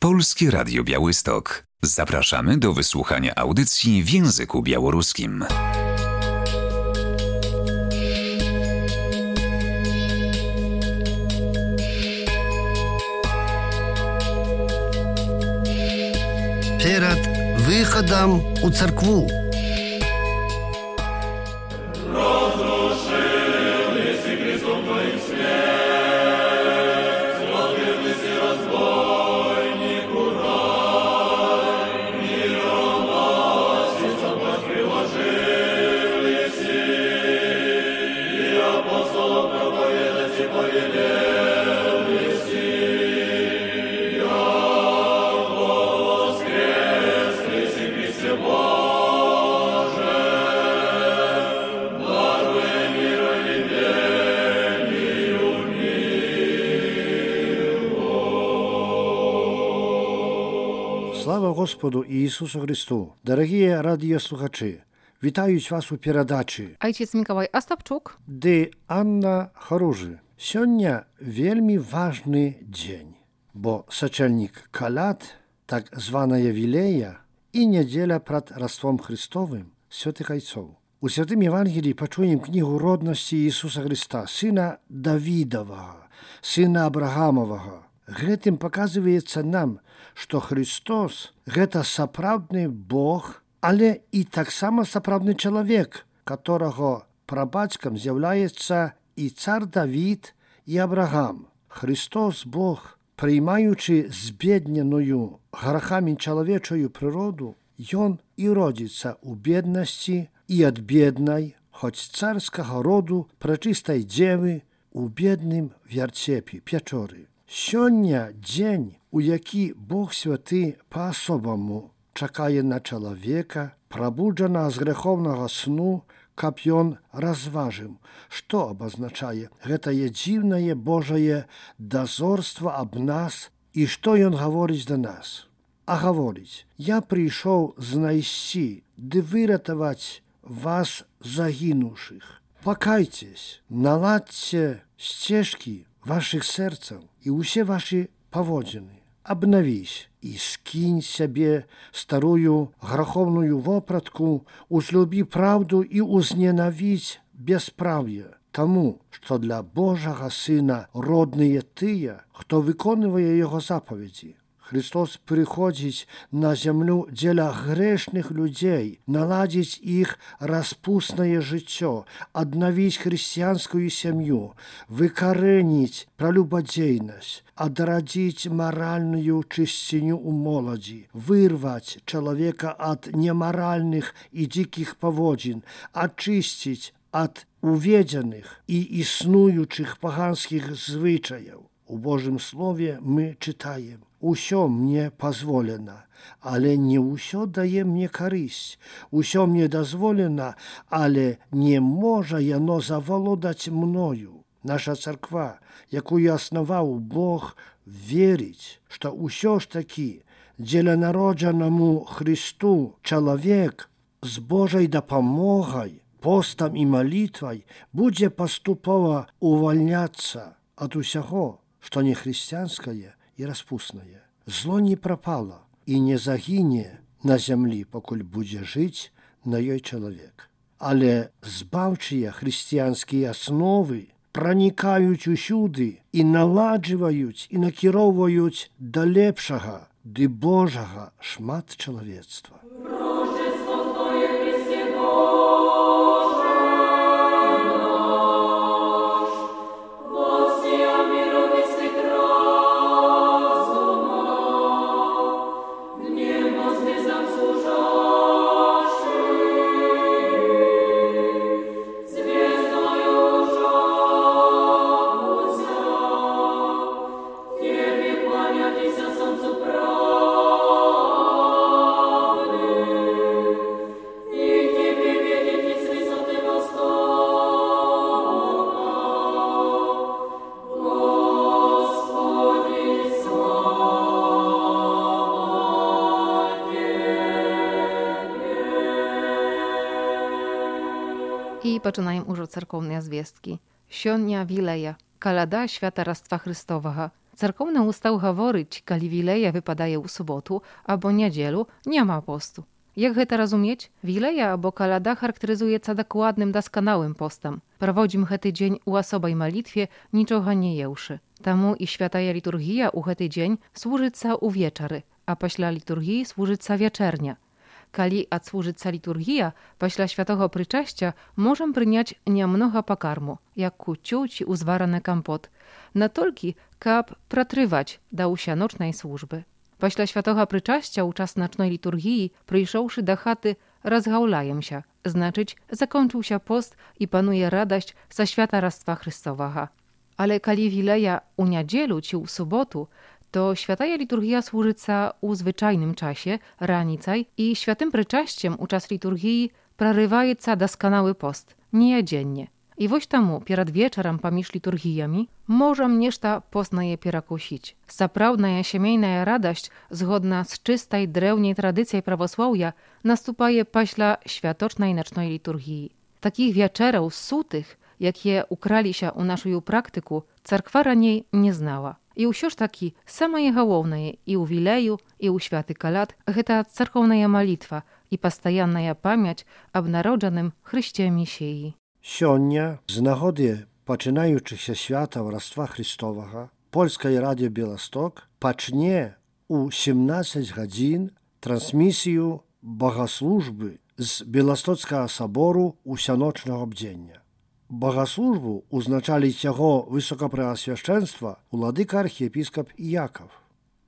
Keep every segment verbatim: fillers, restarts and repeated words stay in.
Polskie Radio Białystok. Zapraszamy do wysłuchania audycji w języku białoruskim. Перед выходом у церкву. Слава Господу Иисусу Христу! Дорогие радиослухачи, вітають вас у передачі Ojciec Mikołaj Ostapczuk, dy Anna Chorужы. Сёння вельмі важны дзень, бо сачэльнік калят, так званая Вілея, і нядзеля прад Раством Христовым святых айцоў. У святым Евангеліі пачуем кнігу роднасці Ісуса Христа, сына Давідавага, сына Абрагамавага. Гэтым паказваецца нам, што Христос – гэта сапраўдны Бог, але і таксама сапраўдны чалавек, которого прабацькам з'яўляецца і цар Давід, і Абрагам. Христос, Бог, прыймаючы збедненую грахамі чалавечую прыроду, Ён і родзіцца ў беднасці і ад беднай, хоць царскага роду прачыстай дзевы у бедным вярцепе, пячоры. Сёння дзень, у які Бог святы па-асобаму чакае на чалавека, прабуджана з грэховнага сну, каб ён разважыў, што абазначае гэтае дзіўнае Божае дазорства аб нас і што ён гаворыць да нас. А гаворыць: «Я прыйшоў знайсці ды выратаваць вас загінуўшых. Пакайцесь, наладзьце сцежкі вашых сэрцаў і ўсе вашы паводзіны. Абнавісь і скінь сябе старую граховную вопратку, узлюбі праўду і узненавідзь бяспраўе, таму, што для Божага Сына родныя тыя, хто выконвае яго запаведзі». Христос прыходзіць на зямлю дзеля грэшных людзей, наладзіць іх распуснае жыццё, аднавіць хрысціянскую сям'ю, выкарэніць пралюбадзейнасць, адрадзіць маральную чысціню ў моладзі, вырваць чалавека ад немаральных і дзікіх паводзін, ачысціць ад уведзеных і існуючых паганскіх звычаяў. У Божым Слове мы чытаем: «Усё мне пазволена, але не ўсё дае мне карысць. Усё мне дазволена, але не можа яно завалодаць мною». Наша царква, якую аснаваў Бог, верыць, што ўсё ж такі дзеля народжанаму Христу чалавек з Божай дапамогай, постам і малітвай будзе паступова увальняцца ад усяго, што не хрысціянскае і распуснае. Зло не прапала і не загіне на зямлі, пакуль будзе жыць на ёй чалавек. Але збаўчыя хрысціянскія асновы пранікаюць усюды і наладжваюць і накіроўваюць да лепшага ды Божага шмат чалавецтва. І пачынаем ужо царкоўныя звесткі. Сёння Вілея, каляда свята Раства Христовага. Церковny устав гаворыць, калі вілея выпадае ў суботу або нядзелю, няма посту. Як гэта разумець? Вілея або каляда характарызуецца дакладным дасканалым постам. Праводзім гэты дзень у асобай малітве, нічога не еўшы. Таму і святая літургія ў гэты дзень служыцца ўвечары, а пасля літургіі служыцца вячэрня. Калі адслужыцца літургія, пасля святого прычасця можам прыняць нямнога пакарму, як куццю ці узвараны кампот, натолькі, каб пратрываць да ўсяночнай службы. Пасля святого прычасця ў час начной літургіі, прыйшоўшы да хаты, разгаўляемся, значыць, закончыўся пост і пануе радасць са святарства Хрыстовага. Але калі вілея ў нядзелю ці ў суботу, to święta liturgia służyca u zwyczajnym czasie, ranicaj, i świętym pryczaściem u czas liturgii prarywajeca doskonały post, niedziennie. I woś tamu, pierad wieczorem pamięć liturgijami, możem nieszta poznaje pierakusić. Saprawna siemiejna radość, zgodna z czystej, drewniej tradycjej prawosławia, nastupaje paśla światocznej nocnej liturgii. Takich wieczerów sutych, jakie ukrali się u naszej praktyku, cerkwa raniej nie znała. I ўсё ж такі, самае галоўнае і ў вілею, і ў святы каляд – гэта царкоўная малітва і пастаянная памяць аб народжаным Хрысце Месіі. Сёння, з нагоды пачынаючыхся святаў Раства Христовага, Польскае радыё Беласток пачне у сямнаццаць гадзін трансмісію богаслужбы з Беластоцкага сабору усяночнага бдзення. Богаслужбу узначаліць яго высокапрэасвяшчэнства уладыка архіепіскап Яков.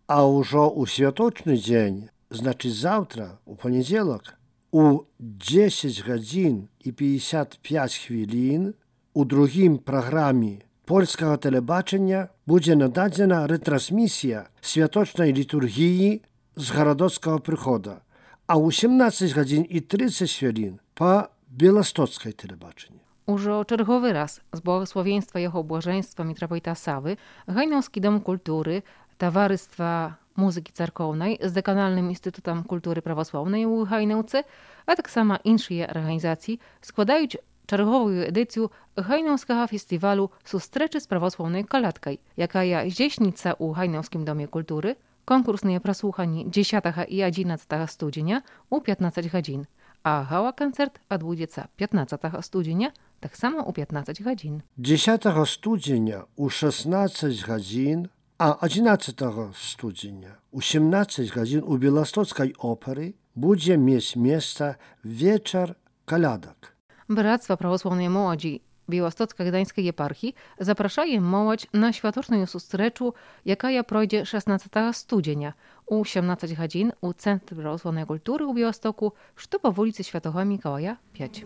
А ўжо ў святочны дзень, значыць заўтра, у панядзелак, у дзесяць гадзін і пятьдесят пять хвілін у другім праграме польскага тэлебачання будзе нададзена рэтрансмісія святочнай літургіі з гарадоцкага прыхода, а ў сямнаццаць гадзін і трыццаць хвілін па беластоцкай тэлебачанні. Уже czergowy raz z błogosławieństwa Jego Błażeństwa Mitropolita Sawy Hajnowski Dom Kultury, Towarzystwa Muzyki Cerkownej z Dekanalnym Instytutem Kultury Prawosławnej u Hajnowce, a tak samo innych organizacji składają czergową edycję Hajnowskiego Festiwalu Sustreczy z Prawosławnej Kaladkaj, jaka jest dzieśnica u Hajnowskim Domie Kultury, konkursne przesłuchanie dziesiątego i jedenastego studzienia u piętnaście godzin, a gala koncert odbędzie się piętnastego studzienia tak samo u piętnaście godzin. dziesiątego studzienia u szesnaście godzin, a jedenastego studzienia u siedemnaście godzin u Białostockiej Opery będzie mieć miejsce wieczór kaladek. Bractwo Prawosławnej Młodzi Białostocko-Gdańskiej Eparchii zapraszaje młodzież na światoczną sustreczu, jaka projdzie szesnastego studzienia u siedemnaście godzin u Centrum Prawosławnej Kultury u Białostoku, co po ulicy Świętego Mikołaja pięć.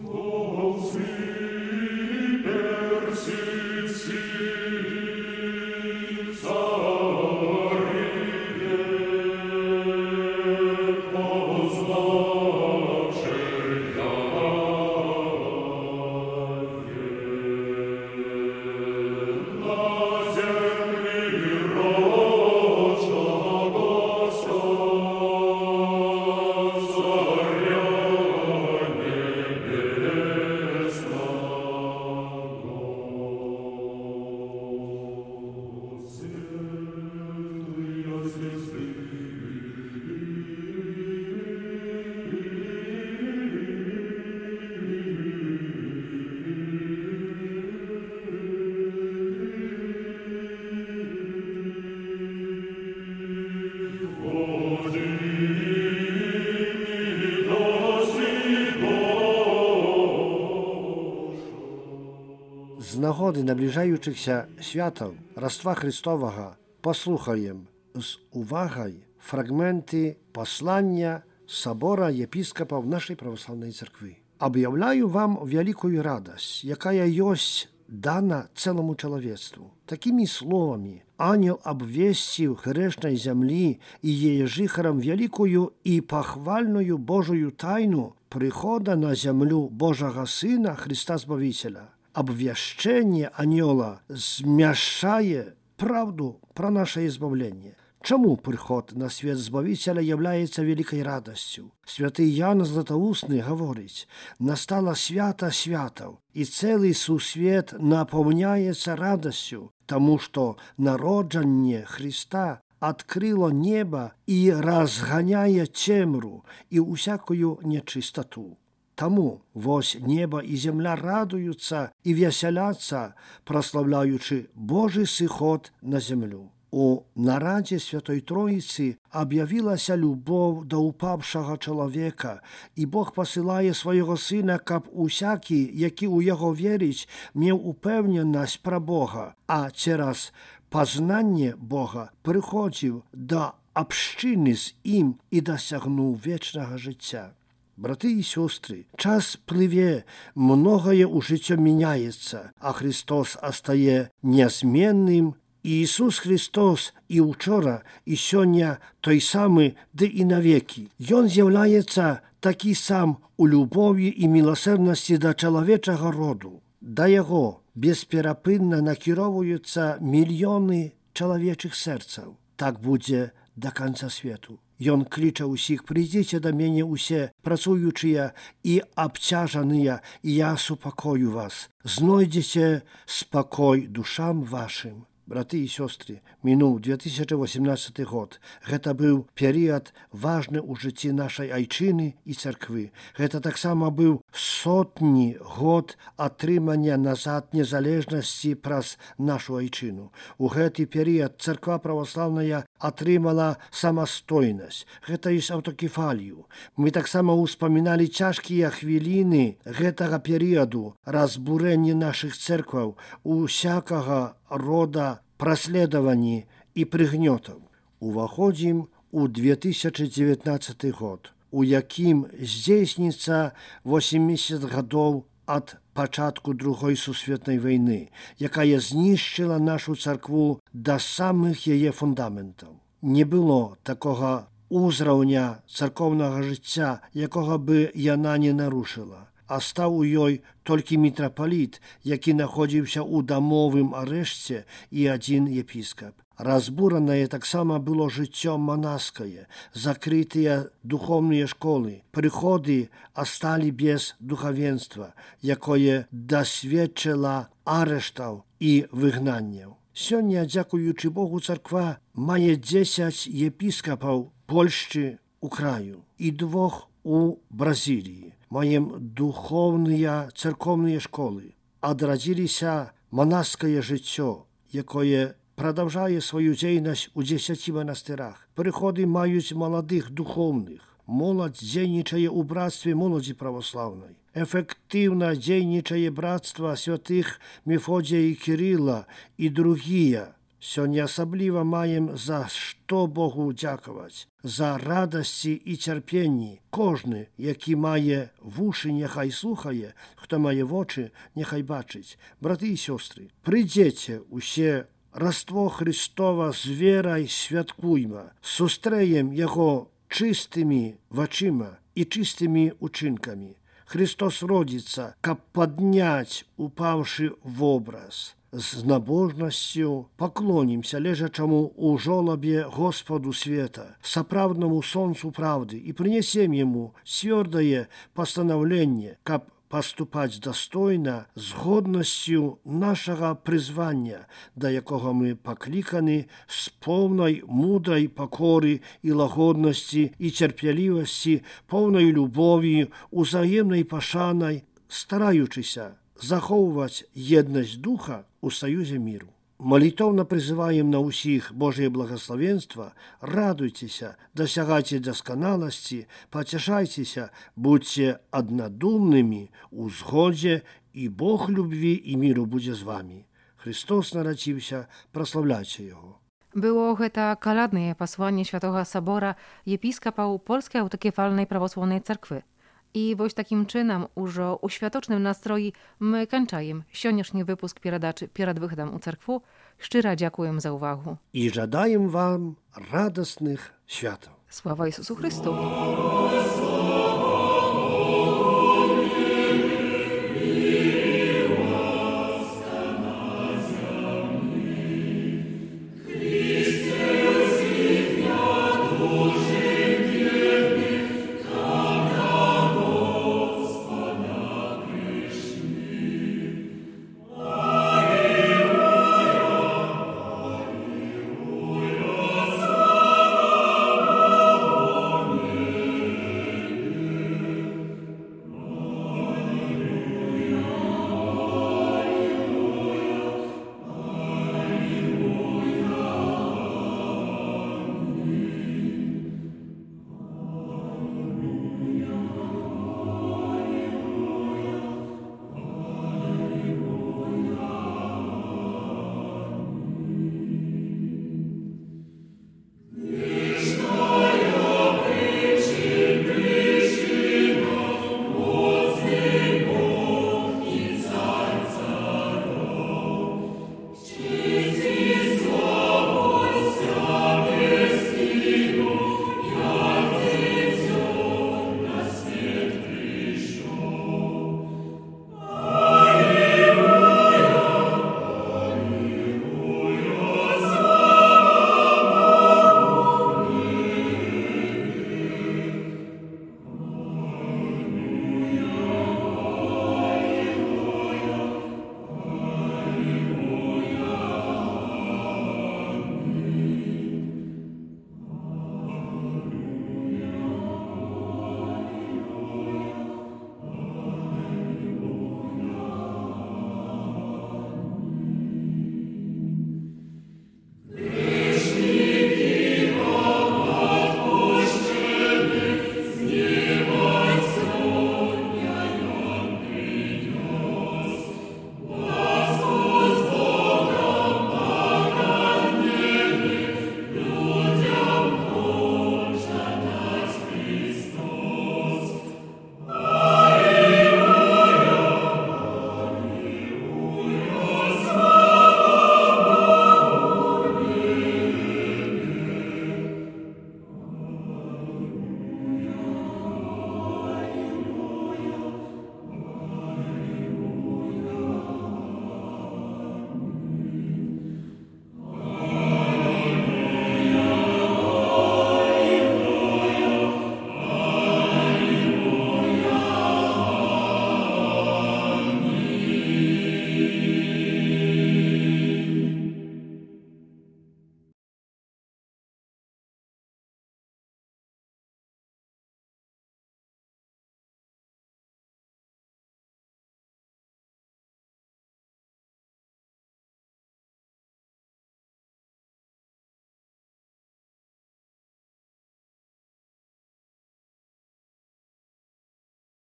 Z nagody nabliżających światów Rastva Chrystowego posłuchajem z uwagą fragmenty posłania Sobora Episkopów naszej prawosławnej cerkwi. Objawiają wam wielką radość, jaka jest dana całemu człowiectwu. Takimi słowami anioł obwieścił grzesznej ziemi i jej żychrom wielką i pochwalną Bożą tajnu przychoda na ziemię Bożego Syna Chrysta Zbawiciela. Obwieszczenie anioła zmieszaje prawdę pro nasze zbawienie. Czemu przychod na świat Zbawiciela является wielką radością? Święty Jan Zlatoustny говорить, настала świata światów i cały świat napełniaється радостью тому что народжанне Христа открыло небо и разгоняє темру и усякую нечистоту. Тому вось небо и земля радуются и веселятся, прославляючи Божий сиход на землю. У нараді Святої Троїці об'явилася любов до упавшого чоловіка, і Бог посилає свого Сина, щоб усякий, який у Його вірить, мав упевненість про Бога, а через познання Бога приходив до общини з Ним і досягнув вічного життя. Брати і сестри, час пливе, многое у житті міняється, а Христос остає незмінним. Ісус Христос і вчора, і сьогодні той самий, де і навіки. Він з'являється такий сам у любові і милосердності до чоловічого роду. До Його безперепинно накеровуються мільйони чоловічих серців. Так буде до кінця світу. Ён кліча усіх: «Прийдіть до мене усі працюючі і обтяжені, і я супокою вас. Знойдете спокой душам вашим». Браты і сёстры, мінуў две тысячи восемнадцаты год. Гэта быў перыяд важны ў жыцці нашай айчыны і царквы. Гэта таксама быў сотні год атрымання назад незалежнасці праз нашу айчыну. У гэты перыяд царква праваслаўная атрымала самастойнасць, гэта ёсць аўтакефалію. Мы таксама ўспаміналі цяжкія хвіліны гэтага перыяду разбурэння нашых церкваў, усякага рода праследавані і прыгнётаў. Уваходзім у две тысячи девятнадцаты год, у якім здзейсніцца восемьдесят гадоў ад пачатку другой сусветнай вайны, якая знішчыла нашу царкву да самых яе фундаментаў. Не было такога ўзраўня царкоўнага жыцця, якога бы яна не нарушыла. А стаў у ёй толькі мітрапаліт, які находзіўся ў дамовым арэшце, і адзін епіскап. Разбуранае таксама было жыццё манаскае, закрытыя духовныя школы, прыходы асталі без духавенства, якое дасведчыла арэштаў і выгнанняў. Сёння, дзякуючы Богу, царква мае дзесяць епіскапаў Польшчы у краю і двох у Бразіліі. Маем духовныя церковныя школы. Адрадзіліся манаскае жыццё, якое прадаўжае сваю дзейнасць у дзесяці манастырах. Прыходы маюць маладых духоўных. Моладзь дзейнічае ў брацтве моладзі праваслаўнай. Эфектыўна дзейнічае брацтва святых Мефодзія і Кірыла і другія. Сёння асабліва маем за што Богу дзякаваць, за радасці і цярпенні. Кожны, які мае вушы, няхай слухае, хто мае вочы, няхай бачыць. Браты і сёстры, прыйдзеце усе раство Христова з верай святкуйма, сустрэем яго чыстымі вачыма і чыстымі учынкамі. Христос родзіцца, каб падняць упаўшы вобраз. З набожнасцю паклонімся лежачаму ў жолабе Господу света, сапраўднаму сонцу правды, і прынесем яму цвёрдае пастанаўленне, каб паступаць дастойна з годнасцю нашага прызвання, да якога мы пакліканы з поўнай мудрай пакоры і лагоднасці і цярплівасці, поўнай любові, узаемнай пашанай, стараючыся захоўваць еднасць духа у саюзе міру. Малітоўна прызываем на ўсіх Божие благословенства, радуйцеся, дасягайце дасканаласці, пацяшайцеся, будьце аднадумнымі у згодзе, і Бог любві і міру будзе з вамі. Христос нарадзіўся, праслаўляйце Яго. Było гэта каляднае пасланне Świętego Собора епіскапаў Польскай аўтакефальнай правослаўнай царквы. I woś takim czynem, użo u światocznym nastroji, my kończajem sionieszny wypusk pieradaczy Pierad Wychodam u Cerkwu. Szczera dziękuję za uwagę. I żadajem wam radosnych światów. Sława Jezusu Chrystu. Christus,